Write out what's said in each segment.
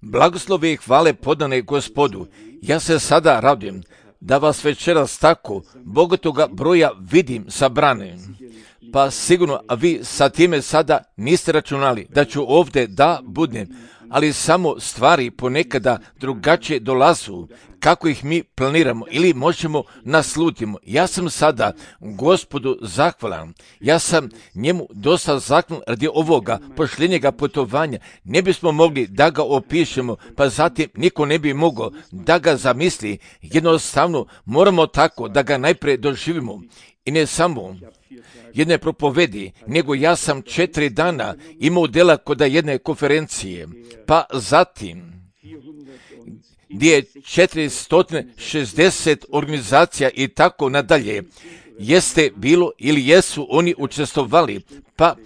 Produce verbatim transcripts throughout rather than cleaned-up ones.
Blagoslove i hvale podane Gospodu. Ja se sada radujem da vas večeras tako bogatoga broja vidim sabrane. Pa sigurno, a vi sa time sada niste računali da ću ovdje da budem, ali samo stvari ponekada drugačije dolazu kako ih mi planiramo ili možemo naslutimo. Ja sam sada Gospodu zahvalan. Ja sam njemu dosta zahvalan radi ovoga pošljenjega putovanja. Ne bismo mogli da ga opišemo, pa zatim niko ne bi mogao da ga zamisli. Jednostavno moramo tako da ga najprije doživimo. I ne samo jedne propovedi, nego ja sam četiri dana imao dela kod jedne konferencije, pa zatim gdje je četiristo šezdeset organizacija i tako nadalje, jeste bilo ili jesu oni učestvovali, pa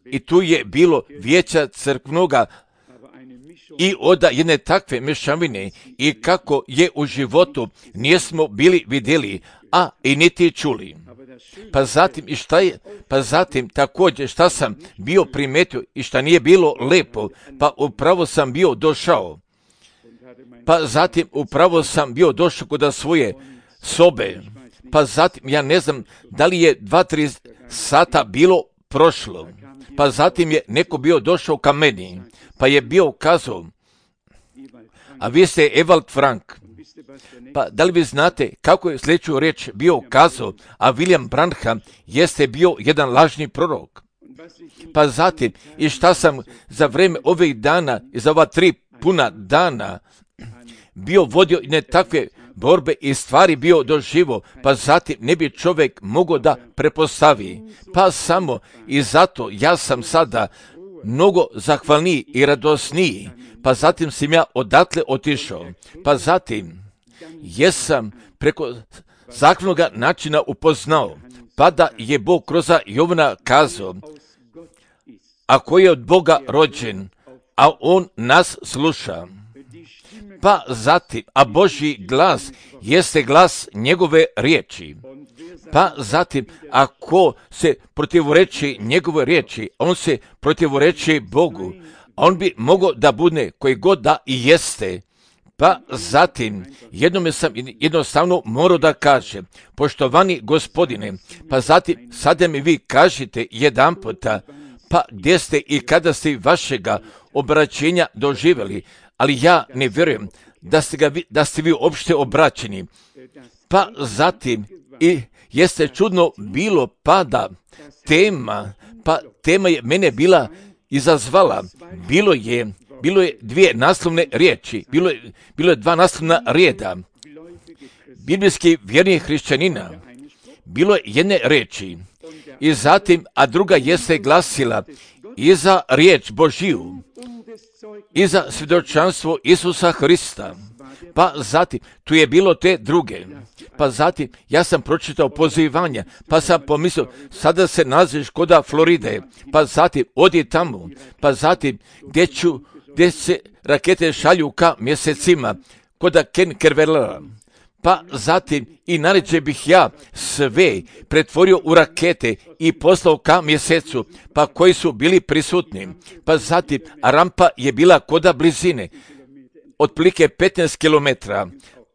i tu je bilo vijeća crkvnoga i od jedne takve mešavine i kako je u životu nismo bili vidjeli, a i niti čuli. Pa zatim i šta je, pa zatim također šta sam bio primetio i šta nije bilo lepo, pa upravo sam bio došao. Pa zatim upravo sam bio došao kod svoje sobe. Pa zatim ja ne znam da li je dva, tri sata bilo prošlo. Pa zatim je neko bio došao ka meni, pa je bio kazao, a vi ste Ewald Frank. Pa da li vi znate kako je sljedeću riječ bio kazao, a William Branham jeste bio jedan lažni prorok. Pa zatim i šta sam za vrijeme ovih dana i za ova tri puna dana bio vodio ne takve borbe i stvari bio doživo, pa zatim ne bi čovjek mogao da prepostavi. Pa samo i zato ja sam sada mnogo zahvalniji i radosniji, pa zatim sam ja odatle otišao. Pa zatim jesam preko zahvalnog načina upoznao, pa da je Bog kroz Jovana kazao, ako je od Boga rođen, a on nas sluša. Pa zatim, a Božji glas jeste glas njegove riječi. Pa zatim, ako se protivreči njegove riječi, on se protivreči Bogu. On bi mogao da bude koji god da i jeste. Pa zatim, jednome sam jednostavno morao da kažem, poštovani gospodine, pa zatim, sada mi vi kažite jedan puta, pa gdje ste i kada ste vašega obraćenja doživjeli, ali ja ne vjerujem da ste, ga, da ste vi uopšte obraćeni. Pa zatim, i jeste čudno bilo pada tema, pa tema je mene bila izazvala, bilo je, bilo je dvije naslovne riječi, bilo je, bilo je dva naslovna reda, biblijski vjernih hrišćanina, bilo je jedne riječi, i zatim, a druga jeste glasila, i za riječ Božiju, i za svjedočanstvo Isusa Hrista. Pa zatim, tu je bilo te druge. Pa zatim, ja sam pročitao pozivanja, pa sam pomislio, sada se nalaziš koda Floride, pa zatim, odi tamo, pa zatim, gdje ću, gdje se rakete šalju ka mjesecima, koda Ken Kervela. Pa zatim, i naređe bih ja sve pretvorio u rakete i poslao ka mjesecu, pa koji su bili prisutni. Pa zatim, a rampa je bila koda blizine, otprilike petnaest kilometara,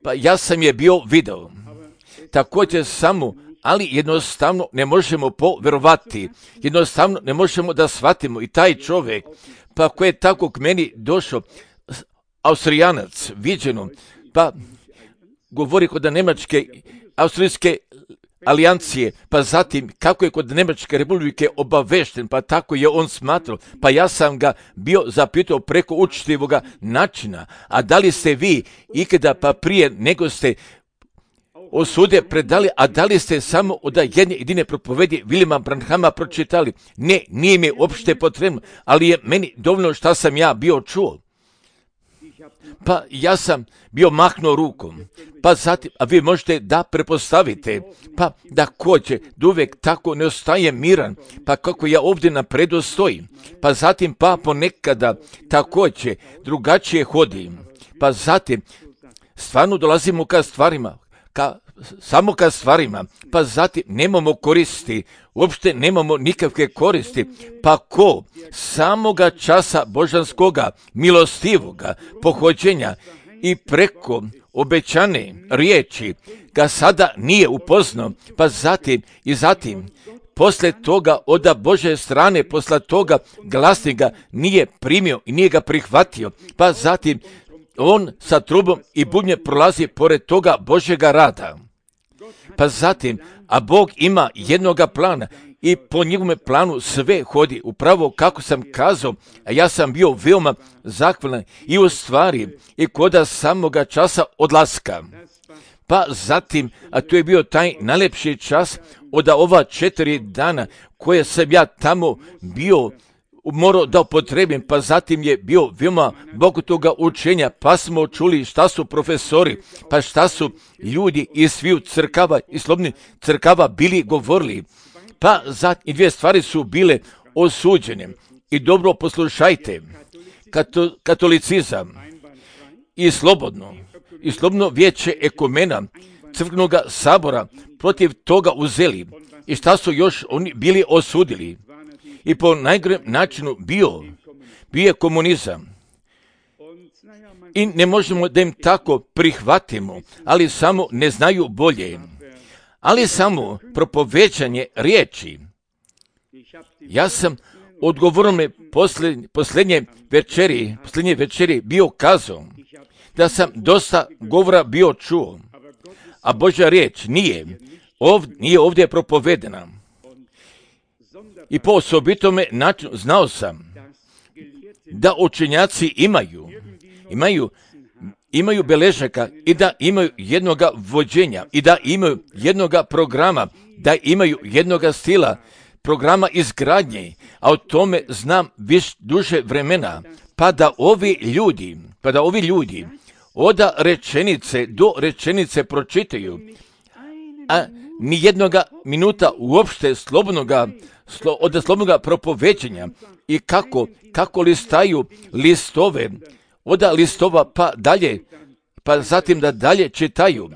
pa ja sam je bio video. Također samo, ali jednostavno ne možemo poverovati, jednostavno ne možemo da shvatimo i taj čovjek, pa koji je tako k meni došao, Austrijanac, viđeno, pa govori kod Njemačke, Austrijske alijancije, pa zatim kako je kod Njemačke republike obavešten, pa tako je on smatrao, pa ja sam ga bio zapitao preko učitivoga načina, a da li ste vi ikada pa prije nego ste osude predali, a da li ste samo od jedne jedine propovedi Williama Branhama pročitali? Ne, nije mi uopšte potrebno, ali je meni dovoljno šta sam ja bio čuo. Pa ja sam bio mahnuo rukom, pa zatim, a vi možete da prepostavite, pa da kođe, da uvijek tako ne ostaje miran, pa kako ja ovdje napredu stojim, pa zatim pa ponekada također drugačije hodim, pa zatim stvarno dolazimo ka stvarima, ka samo ka stvarima, pa zatim nemamo koristi, uopšte nemamo nikakve koristi, pa ko samoga časa božanskoga, milostivoga, pohođenja i preko obećane riječi ga sada nije upoznao, pa zatim i zatim posle toga oda Bože strane, posle toga glasnika nije primio i nije ga prihvatio, pa zatim on sa trubom i bubnje prolazi pored toga Božjega rada. Pa zatim, a Bog ima jednoga plana i po njegovome planu sve hodi upravo kako sam kazao, a ja sam bio veoma zahvalan i u stvari i koda samoga časa odlaska. Pa zatim, a to je bio taj najlepši čas od ova četiri dana koje sam ja tamo bio morao da upotrebim, pa zatim je bio veoma bogatoga učenja, pa smo čuli šta su profesori, pa šta su ljudi iz sviju crkava i slobodnih crkava bili govorili. Pa zatim dvije stvari su bile osuđene. I dobro poslušajte, Kato, katolicizam i slobodno, i slobodno vijeće ekumena crkvenog sabora protiv toga uzeli. I šta su još oni bili osudili? I po najgorem načinu bio, bio je komunizam. I ne možemo da im tako prihvatimo, ali samo ne znaju bolje. Ali samo propovećanje riječi. Ja sam odgovorno posljednje, posljednje večeri, posljednje večeri bio kazao da sam dosta govora bio čuo, a Božja riječ nije, ovdje, nije ovdje propovedena. I po osobitome načinu znao sam da učenjaci imaju, imaju, imaju beležaka i da imaju jednoga vođenja i da imaju jednoga programa, da imaju jednoga stila, programa izgradnje, a o tome znam više duže vremena, pa da ovi ljudi, pa da ovi ljudi od rečenice do rečenice pročitaju, a ni jednoga minuta uopšte slobodnoga, slo, od slobodnoga propoveđenja i kako, kako listaju listove, od listova pa dalje, pa zatim da dalje čitaju.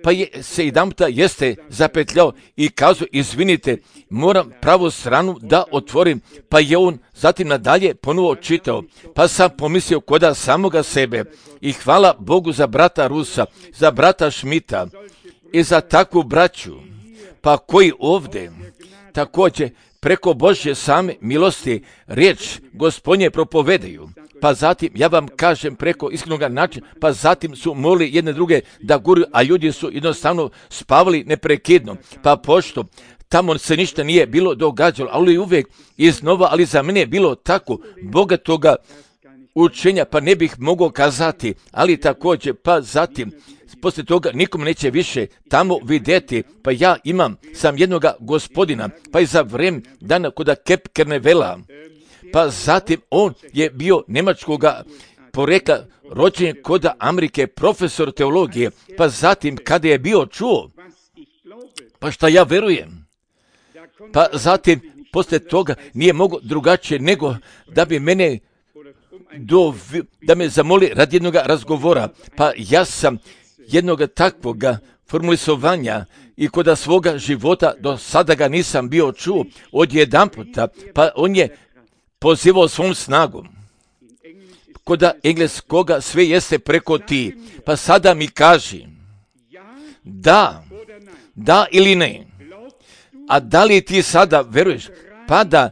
Pa je se jedanputa jeste zapetljao i kazao, izvinite, moram pravu stranu da otvorim, pa je on zatim nadalje ponovo čitao, pa sam pomislio koda samoga sebe i hvala Bogu za brata Rusa, za brata Šmita i za takvu braću, pa koji ovdje također preko Božje same milosti riječ Gospodnje propovedaju. Pa zatim, ja vam kažem preko iskrenog načina, pa zatim su molili jedne druge da guru, a ljudi su jednostavno spavali neprekidno. Pa pošto tamo se ništa nije bilo događalo, ali uvijek iznova, ali za mene je bilo tako bogatoga učenja, pa ne bih mogao kazati, ali također, pa zatim, poslije toga nikom neće više tamo vidjeti, pa ja imam sam jednoga gospodina, pa i za vreme dana koda Kep Kernevela, pa zatim on je bio njemačkoga porekla, rođen koda Amerike, profesor teologije, pa zatim kada je bio čuo, pa šta ja verujem, pa zatim poslije toga nije mogo drugačije nego da bi mene do, da me zamoli radi jednog razgovora, pa ja sam jednoga takvoga formulisovanja i koda svoga života do sada ga nisam bio čuo od jedan puta, pa on je pozivao svom snagom. Koda engleskoga sve jeste preko ti, pa sada mi kaži da, da ili ne. A da li ti sada veruješ, pa da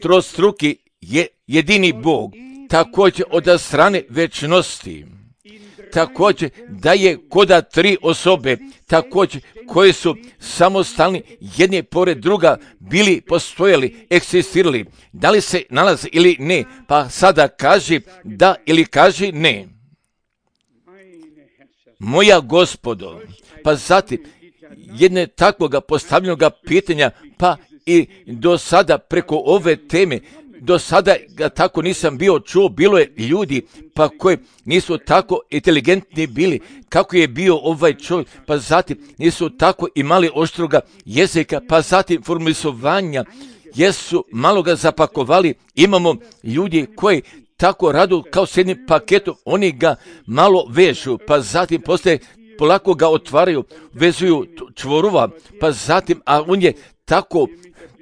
trostruki je jedini Bog, također od strane večnosti, također da je koda tri osobe, također koje su samostalni jedne pored druga bili, postojali, eksistirali, da li se nalaze ili ne, pa sada kaži da ili kaži ne. Moja gospodo, pa zatim jedne takvoga postavljenog pitanja, pa i do sada preko ove teme, do sada ga tako nisam bio čuo, bilo je ljudi pa koji nisu tako inteligentni bili, kako je bio ovaj čovjek, pa zatim nisu tako imali oštroga jezika, pa zatim formulisovanja, jesu malo ga zapakovali, imamo ljudi koji tako radu kao s jednim paketom, oni ga malo vežu, pa zatim poslije polako ga otvaraju, vezuju čvorova, pa zatim, a on je tako,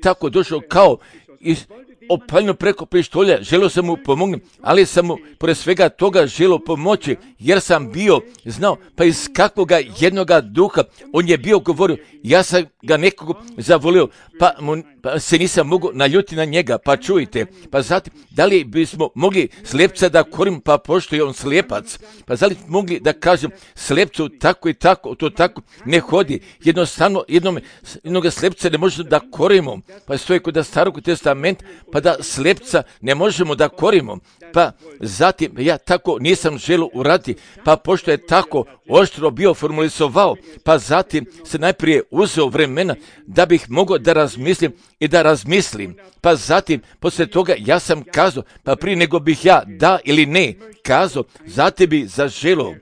tako došao kao iz opaljeno preko pištolja, želio sam mu pomognem, ali sam mu pored svega toga želio pomoći, jer sam bio znao, pa iz kakvoga jednoga duha on je bio govorio, ja sam ga nekog zavolio, pa, mu, pa se nisam mogao naljuti na njega, pa čujte, pa zatim, da li bismo mogli slijepca da korim, pa pošto je on slijepac, pa da li mogli da kažem slijepcu tako i tako, to tako ne hodi, jednostavno jednom, jednog slijepca ne možemo da korimo, pa stoji kod Starog testamenta, pa da slijepca ne možemo da korimo, pa zatim ja tako nisam želio uraditi, pa pošto je tako oštro bio formulisovao, pa zatim se najprije uzeo vremena da bih mogao da razmislim i da razmislim, pa zatim poslije toga ja sam kazao, pa prije nego bih ja da ili ne kazao, zatim bi zaželio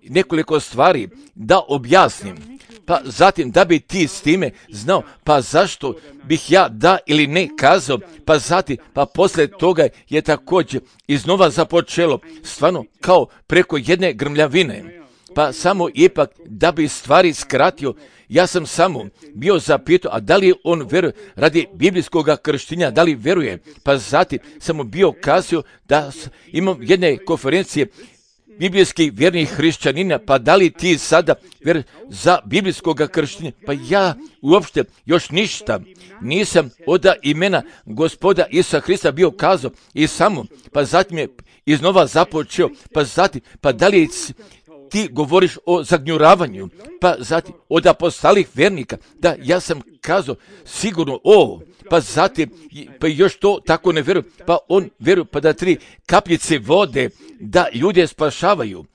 nekoliko stvari da objasnim, pa zatim da bi ti s time znao, pa zašto bih ja da ili ne kazao, pa zatim, pa poslije toga je također iznova započelo, stvarno kao preko jedne grmljavine, pa samo ipak da bi stvari skratio, ja sam samo bio zapitao, a da li on veruje radi biblijskog krštenja, da li veruje, pa zatim sam mu bio kazao da imam jedne konferencije biblijskih vjernih hrišćanina, pa da li ti sada ver za biblijskog krštenja? Pa ja uopšte još ništa nisam od imena Gospoda Isusa Hrista bio kazao i samo, pa zatim je iznova započeo, pa zatim, pa da li ti govoriš o zagnjuravanju, pa zatim od apostolih vernika, da ja sam kazao sigurno ovo, pa zatim, pa još to tako ne vjeruju, pa on vjeruje, pa da tri kapljice vode, da ljude spašavaju.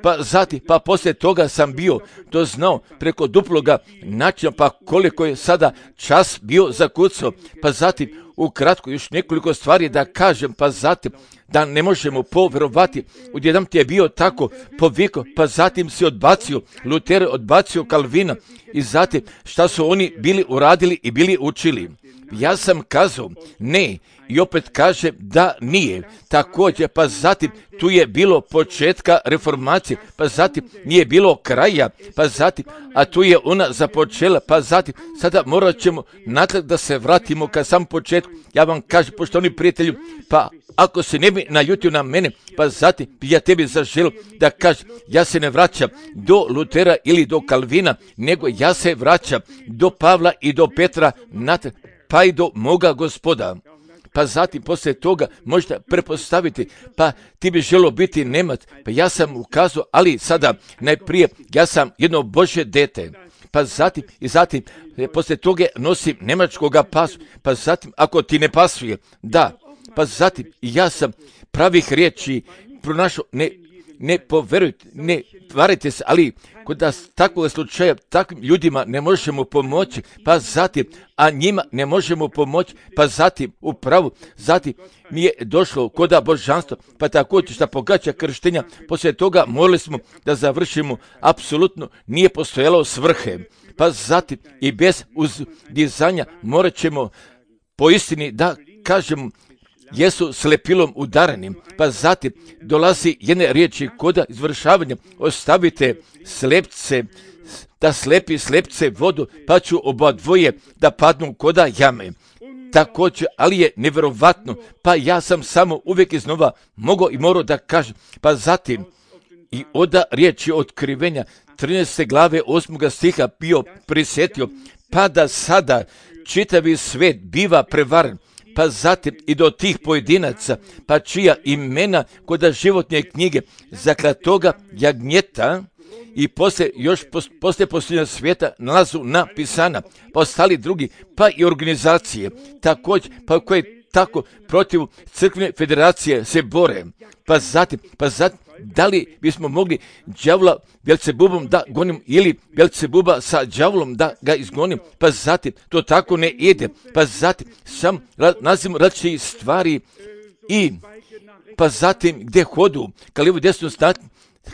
Pa zatim, pa poslije toga sam bio to znao preko duploga načina, pa koliko je sada čas bio zakucao, pa zatim ukratko još nekoliko stvari da kažem, pa zatim da ne možemo povjerovati, odjednom ti je bio tako poviko, pa zatim si odbacio Luter, odbacio Kalvina i zatim šta su oni bili uradili i bili učili. Ja sam kazao ne i opet kažem da nije. Također, pa zatim tu je bilo početka reformacije, pa zatim nije bilo kraja, pa zatim, a tu je ona započela, pa zatim sada morat ćemo natrag da se vratimo ka sam početku. Ja vam kažem, poštovani prijatelju, pa ako se ne bi naljutio na mene, pa zatim bi ja tebi zaželio da kažem, ja se ne vraćam do Lutera ili do Kalvina, nego ja se vraćam do Pavla i do Petra, natrag, pa i do moga Gospoda. Pa zatim poslije toga možete prepostaviti, pa ti bi želio biti Nemac, pa ja sam ukazao, ali sada najprije ja sam jedno Božje dete. Pa zatim i zatim poslije toga nosim nemačkoga pasu, pa zatim ako ti ne pasuje, da, pa zatim ja sam pravih riječi pronašao, ne, ne poverujte, ne varite se, ali kod nas takvog slučaja takvim ljudima ne možemo pomoći, pa zatim, a njima ne možemo pomoći, pa zatim upravo, zatim mi je došlo koda božanstvo, pa također šta pogađa krštenja, poslije toga molili smo da završimo, apsolutno nije postojalo svrhe, pa zatim i bez uzdizanja morat ćemo po istini da kažemo jesu slepilom udarani, pa zatim dolazi jedne riječi koda izvršavanja, ostavite slepce, da slepi slepce vodu, pa ću oba dvoje da padnu koda jame. Također, ali je nevjerovatno, pa ja sam samo uvijek iznova mogao i morao da kažem, pa zatim i oda riječi otkrivenja trinaeste glave osmoga stiha bio prisjetio, pa da sada čitavi svet biva prevaren, pa zatim i do tih pojedinaca, pa čija imena kod životne knjige zaklatoga jagnjeta i poslije još poslije posljednja svijeta nalazu napisana, pa ostali drugi, pa i organizacije, također, pa koje tako protiv crkvene federacije se bore, pa zatim, pa zatim, da li bismo mogli đavola Belcebubom da gonim ili Belcebuba sa đavolom da ga izgonim, pa zatim to tako ne ide, pa zatim sam nazivamo različite stvari i pa zatim gdje hodu, ka lijevo desno strani,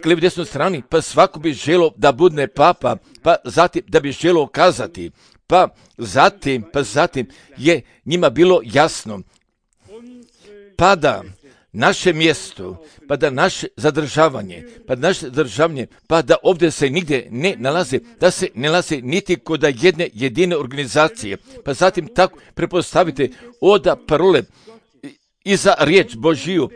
ka lijevo desno strani, pa svako bi želo da budne papa, pa zatim da bi želo kazati, pa zatim, pa zatim je njima bilo jasno, pada naše mjesto, pa da naše zadržavanje, pa da naše zadržavanje, pa da ovdje se nigdje ne nalazi, da se ne nalazi niti kod jedne jedine organizacije. Pa zatim tako prepostavite oda parole i za riječ Božiju,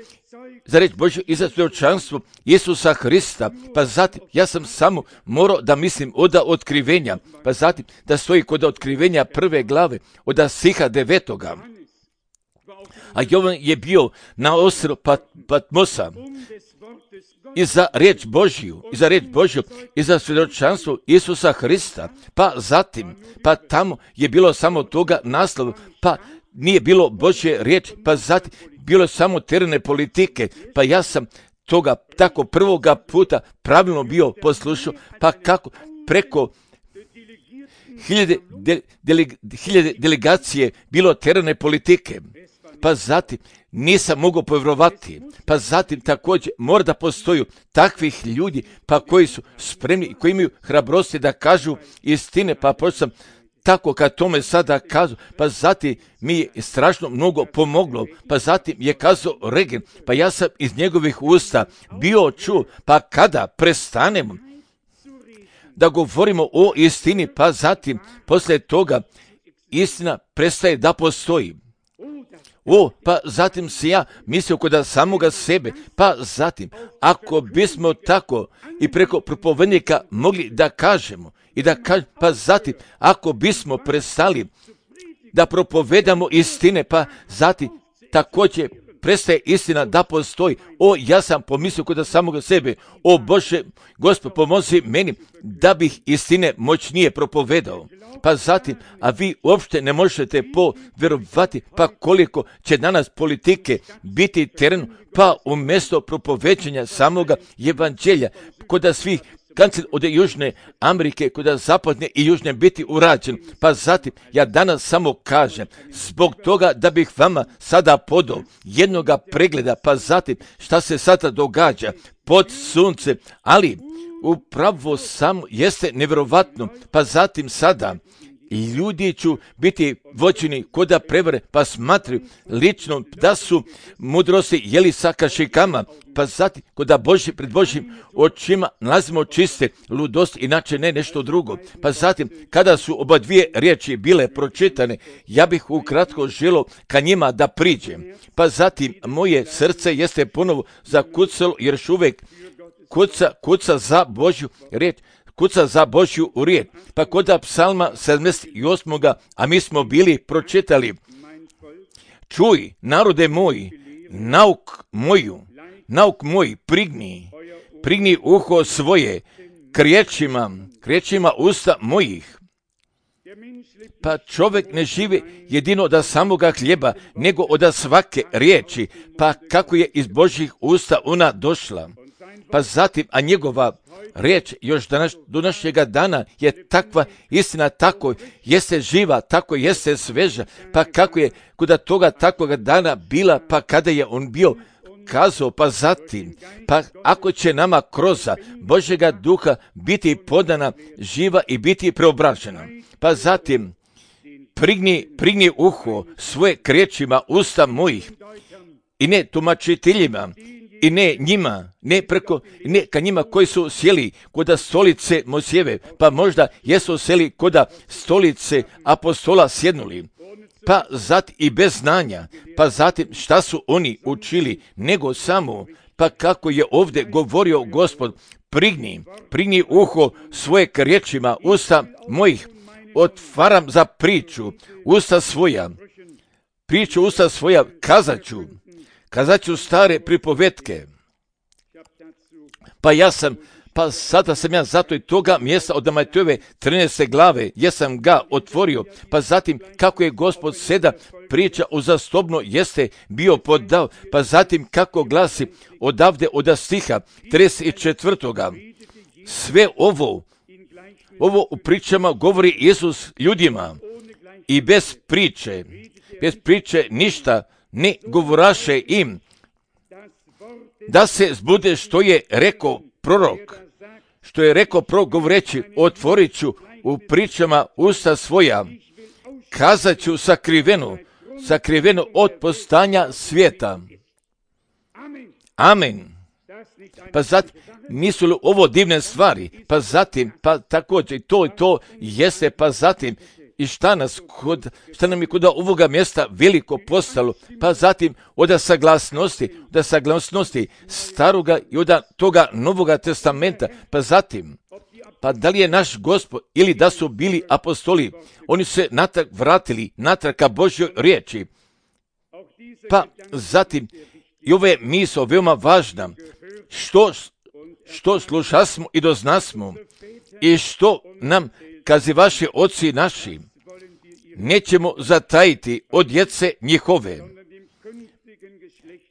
za riječ Božju i za svjedočanstvo Isusa Hrista, pa zatim ja sam samo morao da mislim oda otkrivenja, pa zatim da stoji kod otkrivenja prve glave, oda stiha devetoga. A Jovan je bio na ostrvu Pat, Patmosa i za riječ Božju, i za riječ Božju, i za svjedočanstvo Isusa Hrista, pa zatim, pa tamo je bilo samo toga naslova, pa nije bilo Božje riječi, pa zatim bilo je samo terene politike, pa ja sam toga tako prvoga puta pravilno bio poslušao, pa kako preko hiljade, de, dele, hiljade delegacije bilo terene politike, pa zatim nisam mogao povjerovati, pa zatim također mora da postoju takvih ljudi, pa koji su spremni i koji imaju hrabrosti da kažu istine, pa počeo sam tako kad tome sada kazu, pa zatim mi je strašno mnogo pomoglo, pa zatim je kazao Regen, pa ja sam iz njegovih usta bio čuo, pa kada prestanemo da govorimo o istini, pa zatim poslije toga istina prestaje da postoji. O, pa zatim se ja mislio kod samoga sebe, pa zatim, ako bismo tako i preko propovednika mogli da kažemo, i da kažemo, pa zatim, ako bismo prestali da propovedamo istine, pa zatim također prestaje istina da postoji. O, ja sam pomislio kod samoga sebe, o Bože, Gospod, pomozi meni da bih istine moćnije propovedao. Pa zatim, a vi uopšte ne možete povjerovati, pa koliko će danas politike biti teren, pa umjesto propoveđenja samoga evanđelja, kod svih kancel od Južne Amerike, kod zapadne i južne biti urađen. Pa zatim, ja danas samo kažem, zbog toga da bih vama sada podao jednoga pregleda, pa zatim šta se sada događa pod suncem, ali upravo samo jeste nevjerovatno, pa zatim sada ljudi ću biti vođeni koda prevare, pa smatraju lično da su mudrosti jeli sa kašikama, pa zatim koda Boži, pred Božjim očima nalazimo čiste ludosti, inače ne nešto drugo. Pa zatim, kada su oba dvije riječi bile pročitane, ja bih ukratko želio ka njima da priđem. Pa zatim, moje srce jeste ponovo zakucalo, jer još uvijek kuca, kuca za Božju riječ, kuca za Božju riječ. Pa kod psalma sedamdeset osam. A mi smo bili pročitali: čuj, narode moj, nauk moju, nauk moj, prigni, prigni uho svoje k riječima, k riječima usta mojih. Pa čovjek ne živi jedino od samoga hljeba, nego od svake riječi, pa kako je iz Božjih usta ona došla. Pa zatim, a njegova riječ još danas, do našega dana je takva istina, tako jeste živa, tako jeste sveža, pa kako je kod toga takvoga dana bila, pa kada je on bio kazao, pa zatim, pa ako će nama kroz Božjega duha biti podana živa i biti preobražena, pa zatim, prigni, prigni uho svoje k riječima usta mojih, i ne tumačiteljima, i ne njima, ne preko, ne ka njima koji su sjeli kod stolice Mojsijeve, pa možda jesu sjeli kod stolice apostola sjednuli, pa zatim i bez znanja, pa zatim šta su oni učili, nego samo, pa kako je ovdje govorio Gospod, prigni, prigni uho svoje k riječima usta mojih, otvaram za priču usta svoja, priču usta svoja, kazat ću, kazat ću stare pripovetke. Pa ja sam, pa sada sam ja zato i toga mjesta od Matejove trinaeste glave, jesam ga otvorio, pa zatim kako je Gospod seda priča uzastopno jeste bio podao, pa zatim kako glasi odavde od stiha trideset četvrtoga. Sve ovo, ovo u pričama govori Isus ljudima i bez priče, bez priče ništa ne govoraše im, da se zbude što je rekao prorok, što je rekao prorok govoreći, otvorit ću u pričama usta svoja, kazat ću sakriveno, sakriveno od postanja svijeta. Amen. Pa zatim, nisu li ovo divne stvari? Pa zatim, pa također to i to jeste, pa zatim, i šta, nas kod, šta nam je kod ovoga mjesta veliko postalo, pa zatim od saglasnosti, od saglasnosti staroga i od toga Novoga testamenta, pa zatim, pa da li je naš Gospod ili da su bili apostoli, oni su se natrag vratili, natrag ka Božjoj riječi. Pa zatim, i ova je misao veoma važna, što, što slušasmo i doznasmo i što nam kazi vaši oci naši, nećemo zatajiti od djece njihove.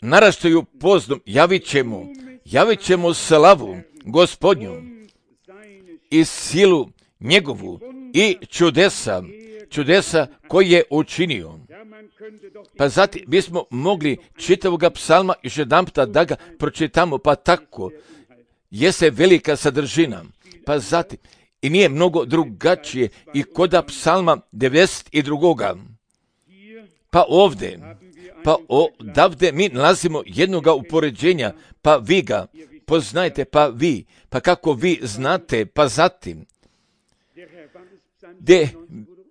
Naraštaju pozdom, javit ćemo, javit ćemo slavu Gospodnju i silu njegovu i čudesa, čudesa koji je učinio. Pa zatim bismo mogli čitavoga psalma još jedanputa da ga pročitamo, pa tako jeste velika sadržina. Pa zatim, i nije mnogo drugačije i koda psalma devedeset dva. Pa ovdje, pa odavde mi nalazimo jednoga upoređenja, pa vi ga poznajte, pa vi, pa kako vi znate, pa zatim, gdje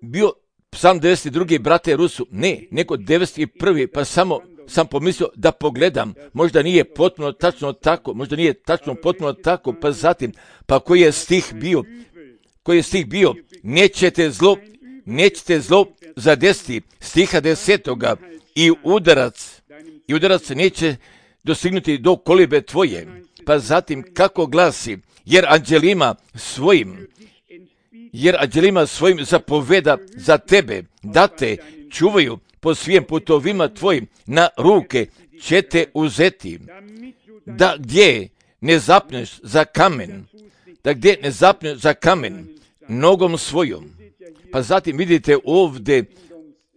bio psalm devedeset dva. brate Rusu, ne, nego devedeset prvi. pa samo sam pomislio da pogledam, možda nije potpuno tačno tako, možda nije tačno potpuno tako, pa zatim, pa koji je stih bio, koji je stih bio, nećete zlo, nećete zlo zadesiti, stiha desetoga, i udarac, i udarac neće dostignuti do kolibe tvoje, pa zatim kako glasi, jer anđelima svojim, jer anđelima svojim zapoveda za tebe, da te čuvaju po svim putovima tvojim, na ruke će te uzeti, da gdje ne zapneš za kamen, da gdje ne zapneš za kamen nogom svojom. Pa zatim vidite ovdje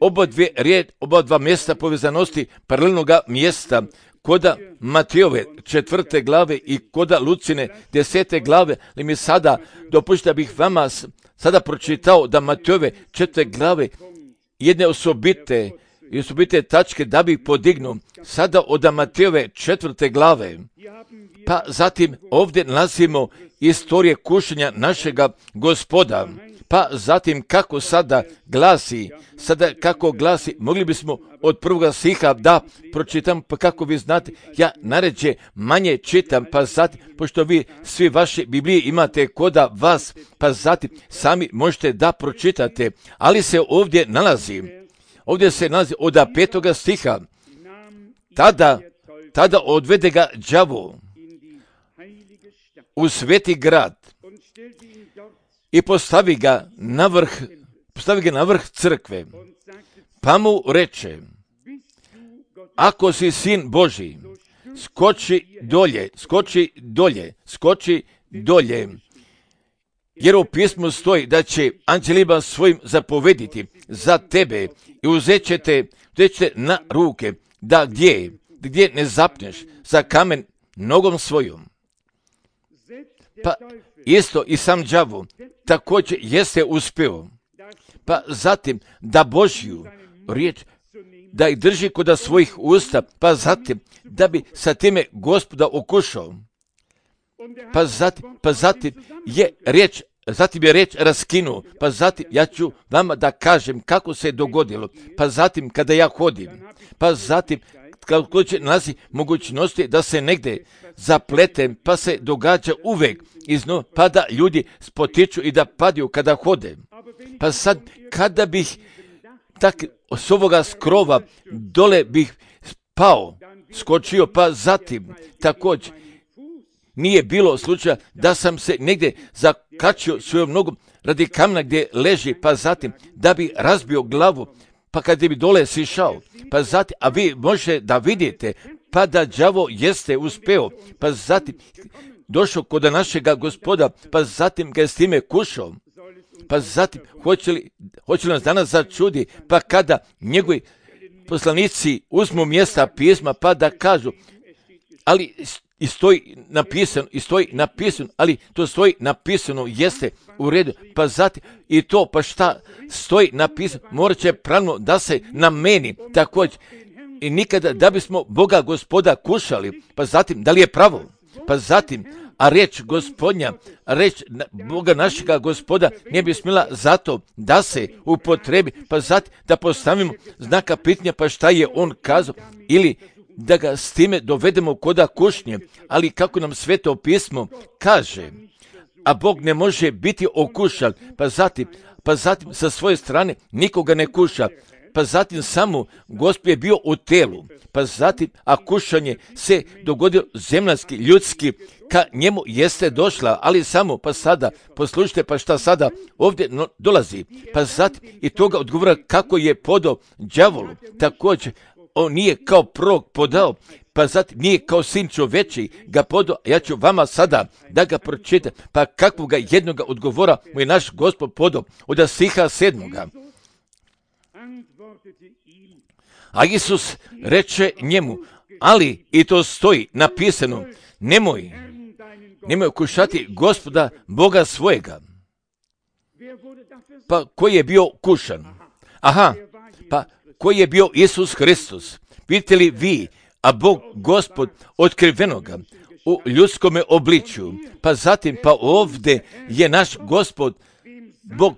oba, dvije, rijed, oba dva mjesta povezanosti paralelnoga mjesta, koda Matejove četvrte glave i koda Lucine desete glave, ali mi sada dopušta bih vama sada pročitao da Matejove četvrte glave jedne osobite i osobite tačke da bih podignuo sada od Matejove četvrte glave. Pa zatim ovdje nalazimo istorije kušanja našega Gospoda. Pa zatim kako sada glasi, sada kako glasi, mogli bismo od prvoga stiha da pročitam, pa kako vi znate, ja naređe manje čitam, pa zatim, pošto vi svi vaše Biblije imate koda vas, pa zatim sami možete da pročitate, ali se ovdje nalazi, ovdje se nalazi od petoga stiha, tada, tada odvede ga đavo u sveti grad i postavi ga na vrh, postavi ga na vrh crkve, pa mu reče, ako si sin Božji, skoči dolje, skoči dolje, skoči dolje, jer u pismu stoji da će anđelima svojim zapovediti za tebe i uzet će te, uzet će na ruke, da gdje, gdje ne zapneš za kamen nogom svojom. Pa isto i sam đavo također jeste uspio. Pa zatim da Božju riječ da ih drži kod svojih usta, pa zatim da bi sa time Gospoda okušao. Pa zatim, pa zatim je riječ, zatim je riječ raskinuo, pa zatim ja ću vama da kažem kako se dogodilo, pa zatim kada ja hodim, pa zatim kako će nalazi mogućnosti da se negdje zapletem, pa se događa uvek izno, pa da ljudi spotiču i da padaju kada hode. Pa sad, kada bih tak s ovoga skrova dole bih pao, skočio, pa zatim također nije bilo slučaja da sam se negdje zakačio svojom nogom radi kamena gdje leži, pa zatim da bi razbio glavu, pa kad bi dole sišao, pa zatim, a vi možete da vidite, pa da đavo jeste uspeo, pa zatim došao kod našega Gospoda, pa zatim ga je s time kušao, pa zatim hoće li, hoće li nas danas začudi, pa kada njegovi poslanici uzmu mjesta pisma, pa da kažu, ali i stoji napisano, i stoji napisano, ali to stoji napisano, jeste u redu, pa zatim i to, pa šta stoji napisano, morat će pravno da se nameni također. i nikada da bismo Boga Gospoda kušali, pa zatim da li je pravo, pa zatim, a riječ Gospodnja, riječ Boga našega Gospoda ne bi smjela zato da se upotrebi, pa zatim da postavimo znaka pitanja, pa šta je on kazao, ili da ga s time dovedemo koda kušnje, ali kako nam Sveto pismo kaže, a Bog ne može biti okušan, pa zatim, pa zatim sa svoje strane nikoga ne kuša, pa zatim samo Gospod je bio u telu, pa zatim, a kušanje se dogodilo zemljanski, ljudski, ka njemu jeste došla, ali samo, pa sada, poslušajte, pa šta sada ovdje no, dolazi, pa zatim i toga odgovora kako je podao đavolu, također, on nije kao prorok podao, pa zatim nije kao sin čoveči ga podao, ja ću vama sada da ga pročitam, pa kakvoga jednoga odgovora mu je naš Gospod podao od stiha sedmoga. A Isus reče njemu, ali i to stoji napisano, nemoj, nemoj kušati Gospoda Boga svojega. Pa koji je bio kušan? Aha, pa koji je bio Isus Hristos? Vidite li vi, a Bog Gospod otkrivenoga u ljudskome obličju, pa zatim pa ovdje je naš Gospod Bog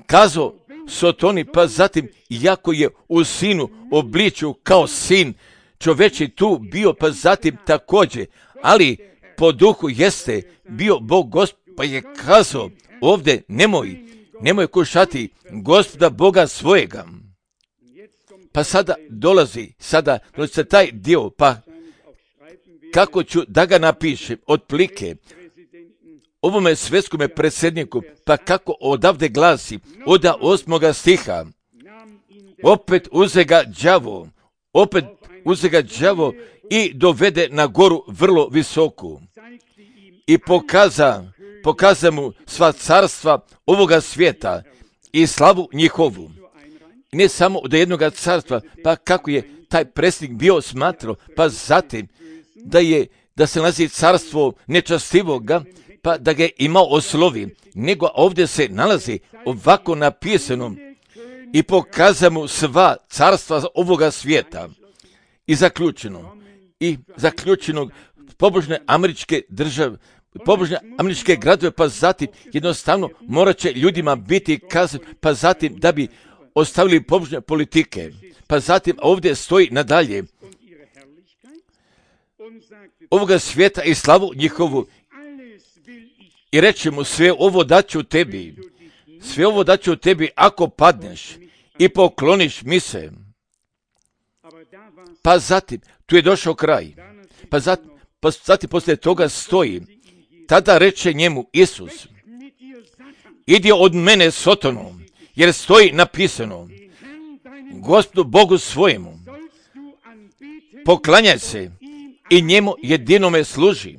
kazao Sotoni, pa zatim iako je u sinu obličju kao sin čoveči tu bio, pa zatim također, ali po duhu jeste bio Bog Gospod, pa je kazao ovdje nemoj, nemoj kušati Gospoda Boga svojega. Pa sada dolazi, sada dolazi se taj dio, pa kako ću da ga napišem, otplike, ovome svjetskome predsjedniku, pa kako odavde glasi, od osmoga stiha, opet uze ga đavo, opet uze ga đavo i dovede na goru vrlo visoku i pokaza, pokaza mu sva carstva ovoga svijeta i slavu njihovu. Ne samo od jednoga carstva, pa kako je taj predsjednik bio smatrao, pa zatim da je, da se nalazi carstvo nečastivoga, pa da ga je imao oslovi, nego ovdje se nalazi ovako napisano i pokaza mu sva carstva ovoga svijeta. I zaključeno, i zaključeno pobožne američke države, pobožne američke gradove, pa zatim jednostavno morat će ljudima biti kazan, pa zatim da bi ostavili pobožne politike, pa zatim ovdje stoji nadalje ovoga svijeta i slavu njihovu i reče mu sve ovo daću tebi, sve ovo daću tebi ako padneš i pokloniš mi se. Pa zatim, tu je došao kraj, pa zatim, pa zatim poslije toga stoji, tada reče njemu Isus, idi od mene Sotonu, jer stoji napisano, Gospodu Bogu svojemu, poklanjaj se i njemu jedinome služi.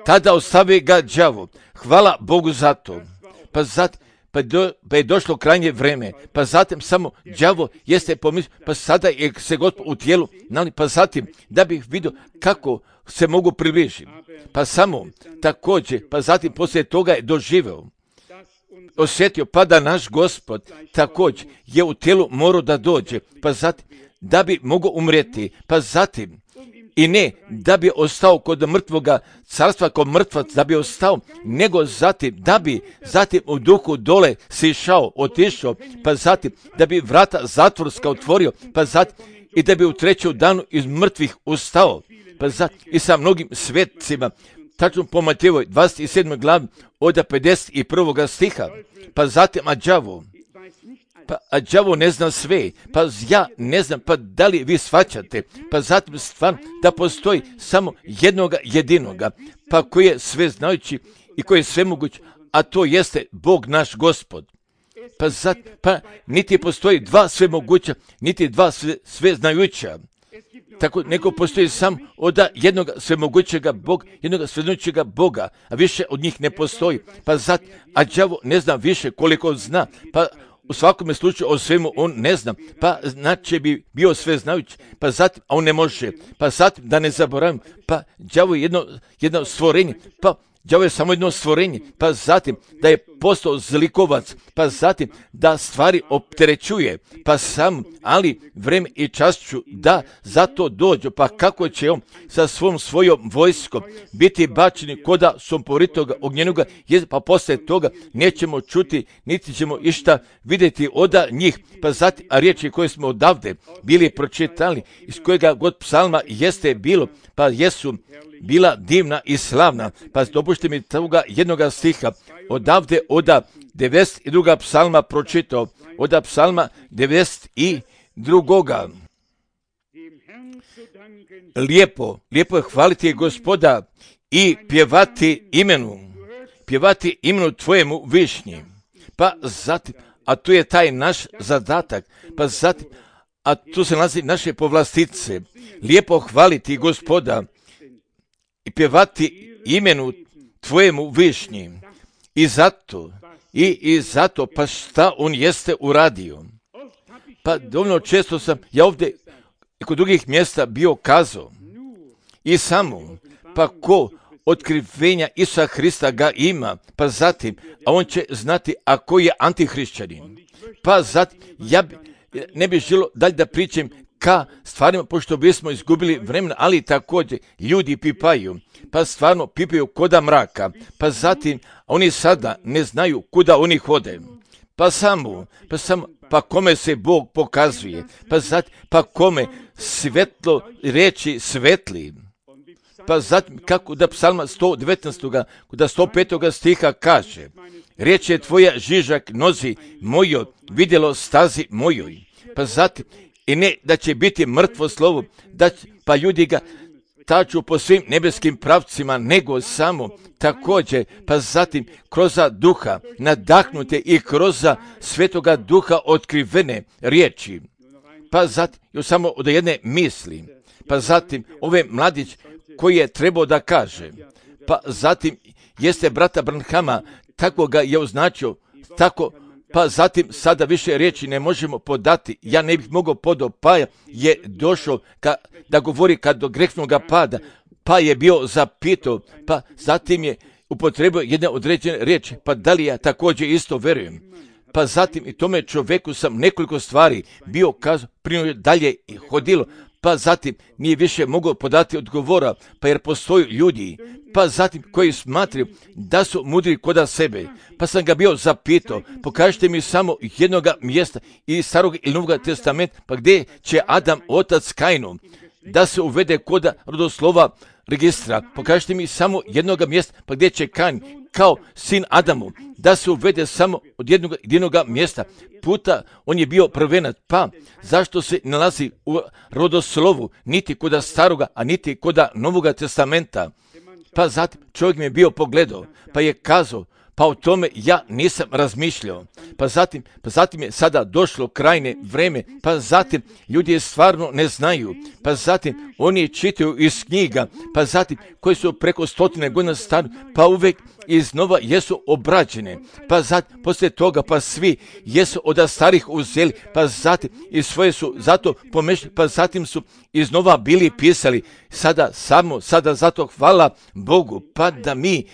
Tada ostavi ga đavo, hvala Bogu za to. Pa, zatim, pa, do, pa je došlo krajnje vreme, pa zatim samo đavo jeste pomislio, pa sada je se Gospod u tijelu, pa zatim da bih vidio kako se mogu približiti. Pa samo također, pa zatim poslije toga je doživeo, osjetio, pa da naš Gospod također je u tijelu morao da dođe, pa zatim da bi mogao umrijeti, pa zatim i ne da bi ostao kod mrtvoga carstva, kod mrtvac da bi ostao, nego zatim da bi zatim u duhu dole sišao, otišao, pa zatim da bi vrata zatvorska otvorio, pa zatim i da bi u trećem danu iz mrtvih ustao, pa zatim i sa mnogim svetcima, tačno po Matejevoj dvadeset sedmoj glavi od pedeset prvog stiha, pa zatim a đavo, pa a đavo ne zna sve, pa ja ne znam, pa da li vi shvaćate, pa zatim stvarno da postoji samo jednoga jedinoga, pa koji je sve znajući i koji je sve moguć, a to jeste Bog naš Gospod. Pa, zat, pa niti postoji dva sve moguća, niti dva sve, sve znajuća. Tako neko postoji sam od jednog svemogućega Boga, jednog svemogućega Boga, a više od njih ne postoji. Pa zat, a đavo ne zna više koliko zna, pa u svakome slučaju o svemu on ne zna, pa znači bi bio sve znajući, pa zatim, a on ne može, pa zatim da ne zaboravim, pa đavo je jedno, jedno stvorenje, pa đavo je samo jedno stvorenje, pa zatim da je postao zlikovac, pa zatim da stvari opterećuje, pa sam, ali vreme i čas ću da zato dođu, pa kako će on sa svom svojom vojskom biti bačeni koda somporitoga ognjenoga, pa posle toga nećemo čuti, niti ćemo išta vidjeti od njih, pa zatim, a riječi koje smo odavde bili pročitali, iz kojega god psalma jeste bilo, pa jesu bila divna i slavna, pa dopušte mi toga jednoga stiha, odavde oda devedeset drugog psalma pročitao, oda psalma devedeset drugoga Lijepo, lijepo je hvaliti Gospoda i pjevati imenu, pjevati imenu Tvojemu višnji, pa zatim, a tu je taj naš zadatak, pa zatim, a tu se nalazi naše povlastice, lijepo hvaliti Gospoda i pjevati imenu Tvojemu višnji. I zato, i, i zato, pa šta on jeste uradio? Pa dovoljno često sam ja ovdje i kod drugih mjesta bio kazao i samo, pa ko otkrivenja Isusa Hrista ga ima, pa zatim, a on će znati ako je antihrišćanin. Pa zatim, ja bi, ne bih želio dalje da pričam ka stvarima, pošto bismo izgubili vremena, ali također ljudi pipaju, pa stvarno pipaju koda mraka, pa zatim oni sada ne znaju kuda oni hode, pa samo, pa samo, pa kome se Bog pokazuje, pa zatim, pa kome svetlo reči svetli, pa zatim kako da psalma sto devetnaest. da sto pet. stiha kaže, riječ je tvoja žižak nozi mojoj, vidjelo stazi mojoj, pa zatim, i ne da će biti mrtvo slovo, da će, pa ljudi ga taču po svim nebeskim pravcima, nego samo također, pa zatim kroz duha nadahnute i kroz svetoga duha otkrivene riječi, pa zatim još samo od jedne misli, pa zatim ove mladić koji je trebao da kaže, pa zatim jeste brata Branhama, tako ga je označio, tako, pa zatim sada više riječi ne možemo podati, ja ne bih mogao podo, pa je došao ka, da govori kad do grehnog pada, pa je bio zapitao, pa zatim je upotrebio jedne određene riječi, pa da li ja također isto verujem, pa zatim i tome čovjeku sam nekoliko stvari bio kazao, prije dalje i hodilo, pa zatim nije više mogao podati odgovora, pa jer postoji ljudi, pa zatim koji smatraju da su mudri koda sebe, pa sam ga bio zapitao, pokažite mi samo jednoga mjesta iz Starog ili Novog testamenta, pa gdje će Adam otac Kainu da se uvede koda rodoslova registra, pokažite mi samo jednoga mjesta, pa gdje će Kain kao sin Adamu da se uvede samo od jednog jedinog mjesta, puta on je bio prvenac, pa zašto se nalazi u rodoslovu niti koda staroga, a niti koda Novoga testamenta? Pa zatim čovjek mi je bio pogledao, pa je kazao, pa o tome ja nisam razmišljao. Pa zatim, pa zatim je sada došlo krajne vreme, pa zatim ljudi je stvarno ne znaju, pa zatim oni čitaju iz knjiga, pa zatim koji su preko stotine godina stari, pa uvijek iznova jesu obrađene, pa zatim poslije toga pa svi jesu od starih uzeli, pa zatim i svoje su zato pomešali, pa zatim su iznova bili pisali, sada samo, sada zato hvala Bogu, pa da mi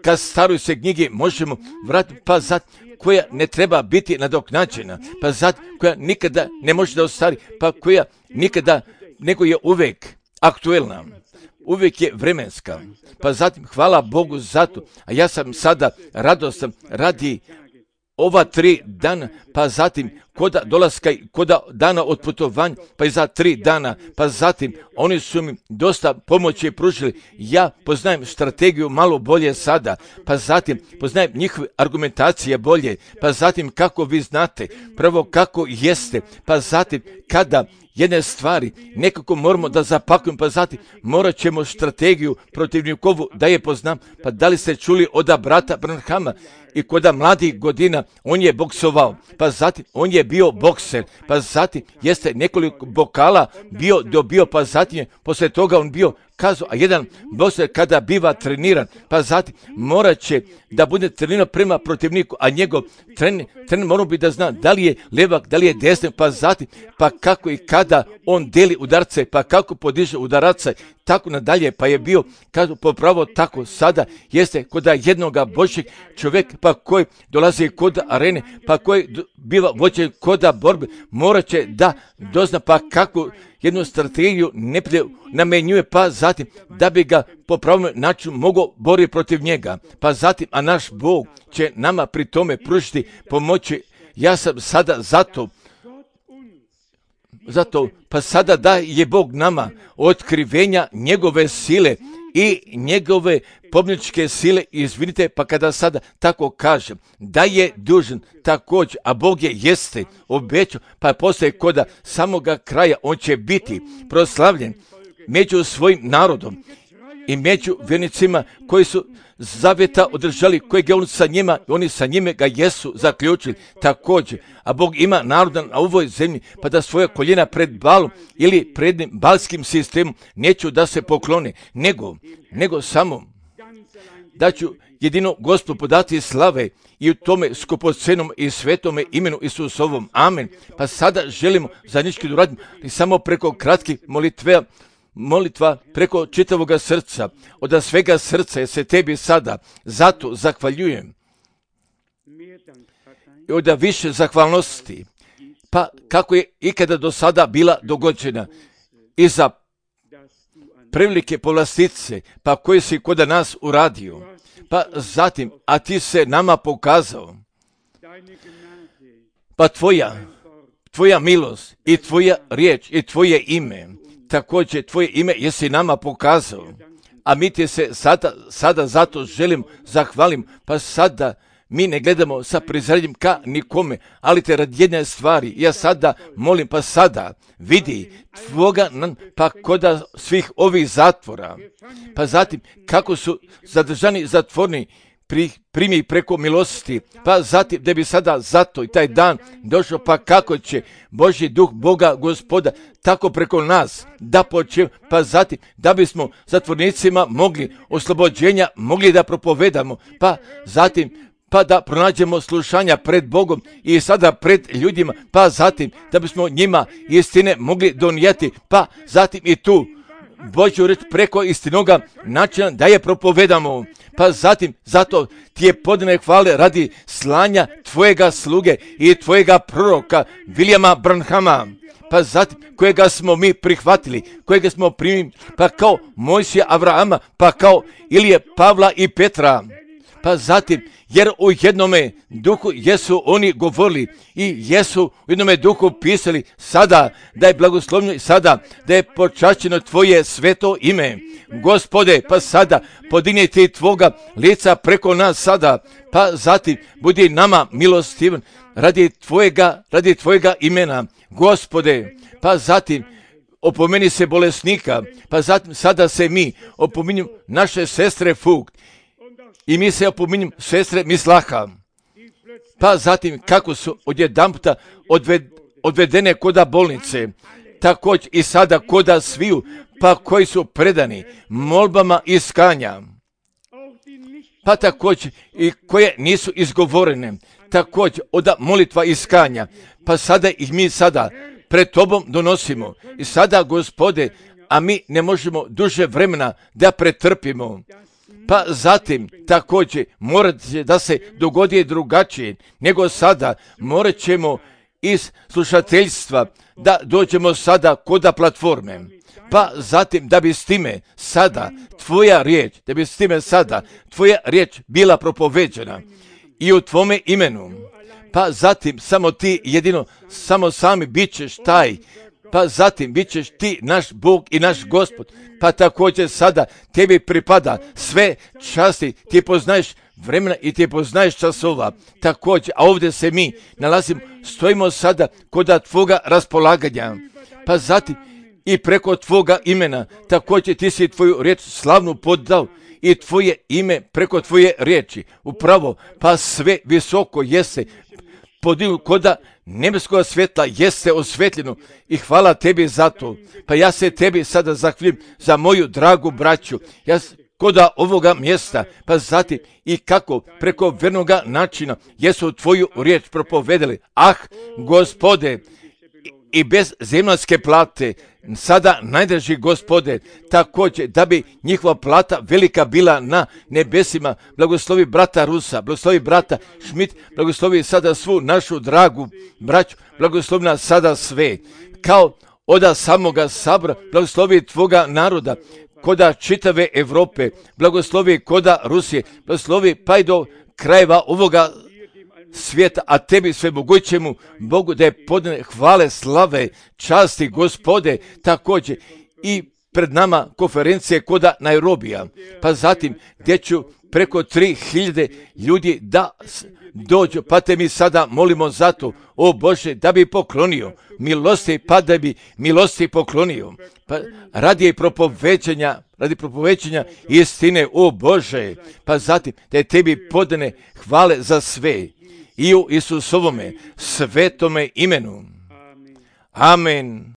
kad staroj se knjige možemo vratiti, pa zatim koja ne treba biti nadoknađena, pa zatim koja nikada ne može da ostari, pa koja nikada, nego je uvijek aktuelna, uvijek je vremenska, pa zatim hvala Bogu za to, a ja sam sada radostan radi ova tri dana, pa zatim koda dolaska i koda dana od putovanja, pa i za tri dana, pa zatim oni su mi dosta pomoći pružili, ja poznajem strategiju malo bolje sada, pa zatim poznajem njihove argumentacije bolje, pa zatim kako vi znate, prvo kako jeste, pa zatim kada jedne stvari nekako moramo da zapakujemo, pa zatim morat ćemo strategiju protivnikovu da je poznam, pa da li ste čuli od brata Branhama i koda mladih godina on je boksovao, pa zatim on je bio bokser, pa zatim jeste nekoliko bokala bio dobio, pa zatim je poslije toga on bio kazao, a jedan bokser kada biva treniran, pa zatim morat će da bude treniran prema protivniku, a njegov trener, trener mora bi da zna da li je levak, da li je desnik, pa zatim, pa kako i kada on deli udarce, pa kako podiže udaraca, tako nadalje, pa je bio, kažu, popravo tako sada jeste kod jednoga Božjeg čovjeka, pa koji dolazi kod arene, pa koji biva vođen kod borbe, morat će da dozna pa kako jednu strategiju neprijatelj namenjuje, pa zatim da bi ga po pravom načinu mogao boriti protiv njega, pa zatim, a naš Bog će nama pri tome pružiti pomoći. Ja sam sada zato Zato, pa sada da je Bog nama otkrivenja njegove sile i njegove pobjedničke sile, izvinite, pa kada sada tako kažem, da je dužan također, a Bog je jeste obećao, pa postoje koda samoga kraja, on će biti proslavljen među svojim narodom i među vjernicima koji su zaveta održali, kojeg je on sa njima, oni sa njime ga jesu zaključili također. A Bog ima naroda na ovoj zemlji, pa da svoje koljena pred Balom ili pred balskim sistemom neću da se poklone, nego, nego samo da ću jedino Gospodu podati slave i u tome skupocenom i svetome imenu Isusovom. Amen. Pa sada želimo zajednički da radimo i samo preko kratkih molitve, molitva preko čitavoga srca, od svega srca je se tebi sada, zato zahvaljujem. I od više zahvalnosti, pa kako je ikada do sada bila dogođena i za prevelike povlastice, pa koji si kod nas uradio, pa zatim, a ti se nama pokazao, pa tvoja, tvoja milost i tvoja riječ i tvoje ime, također tvoje ime jesi nama pokazao, a mi ti se sada, sada zato želim, zahvalim, pa sada mi ne gledamo sa prizranjem ka nikome, ali te radi jedne stvari, ja sada molim, pa sada vidi tvoga, pa koda svih ovih zatvora, pa zatim kako su zadržani zatvorni, pri, primi preko milosti, pa zatim da bi sada zato i taj dan došao, pa kako će Božji duh Boga Gospoda tako preko nas da počne, pa zatim da bismo zatvornicima mogli oslobođenja, mogli da propovedamo, pa zatim pa da pronađemo slušanja pred Bogom i sada pred ljudima, pa zatim da bismo njima istine mogli donijeti, pa zatim i tu Božju reč preko istinoga načina da je propovedamo, pa zatim zato ti je podane hvale radi slanja tvojega sluge i tvojega proroka Williama Branhama, pa zatim kojega smo mi prihvatili, kojega smo primili, pa kao Mojsija Avrahama, pa kao Ilije Pavla i Petra, pa zatim jer u jednome duhu jesu oni govorili i jesu u jednome duhu pisali sada da je blagoslovljeno i sada da je počašćeno tvoje sveto ime. Gospode, pa sada podigni ti tvoga lica preko nas sada, pa zatim budi nama milostivan radi tvojega, radi tvojega imena. Gospode, pa zatim opomeni se bolesnika, pa zatim sada se mi opominjemo naše sestre Fug, i mi se opominjem sestre Mislaha, pa zatim kako su odjedanputa odved, odvedene koda bolnice, također i sada koda sviju, pa koji su predani molbama iskanja, pa također i koje nisu izgovorene, također od molitva iskanja, pa sada ih mi sada pred tobom donosimo i sada, Gospode, a mi ne možemo duže vremena da pretrpimo. Pa zatim također morat će da se dogodi drugačije nego sada, morat ćemo iz slušateljstva da dođemo sada koda platforme, pa zatim da bi s time sada tvoja riječ, da bi s time sada tvoja riječ bila propoveđena i u tvome imenu, pa zatim samo ti jedino, samo sami bit ćeš taj, pa zatim bit ćeš ti naš Bog i naš Gospod, pa također sada tebi pripada sve časti, ti poznaješ vremena i ti poznaješ časova, također, a ovdje se mi nalazimo, stojimo sada kod tvoga raspolaganja, pa zatim i preko tvoga imena, također ti si tvoju riječ slavnu podao i tvoje ime preko tvoje riječi, upravo, pa sve visoko jeste podignu koda nebeskog svjetla, jeste osvetljeno i hvala tebi za to. Pa ja se tebi sada zahvalim za moju dragu braću, ja koda ovoga mjesta, pa zatim i kako preko vernoga načina jesu tvoju riječ propovedali. Ah, Gospode, i bez zemaljske plate, sada najdraži Gospode, također da bi njihova plata velika bila na nebesima. Blagoslovi brata Rusa, blagoslovi brata Šmit, blagoslovi sada svu našu dragu braću, blagoslovi nas sada sve, kao oda samoga sabora, blagoslovi tvoga naroda, koda čitave Europe, blagoslovi koda Rusije, blagoslovi pa i do krajeva ovoga svijeta, a tebi svemogućemu Bogu da je podane hvale, slave, časti, Gospode, također i pred nama konferencije koda Nairobija, pa zatim gdje ću preko tri hiljade ljudi da dođu, pa te mi sada molimo za to, o Bože, da bi poklonio milosti, pa da bi milosti poklonio, pa radi propovećanja, radi propovećanja istine, o Bože, pa zatim da je tebi podane hvale za sve i u Isusovome svetome imenu. Amen.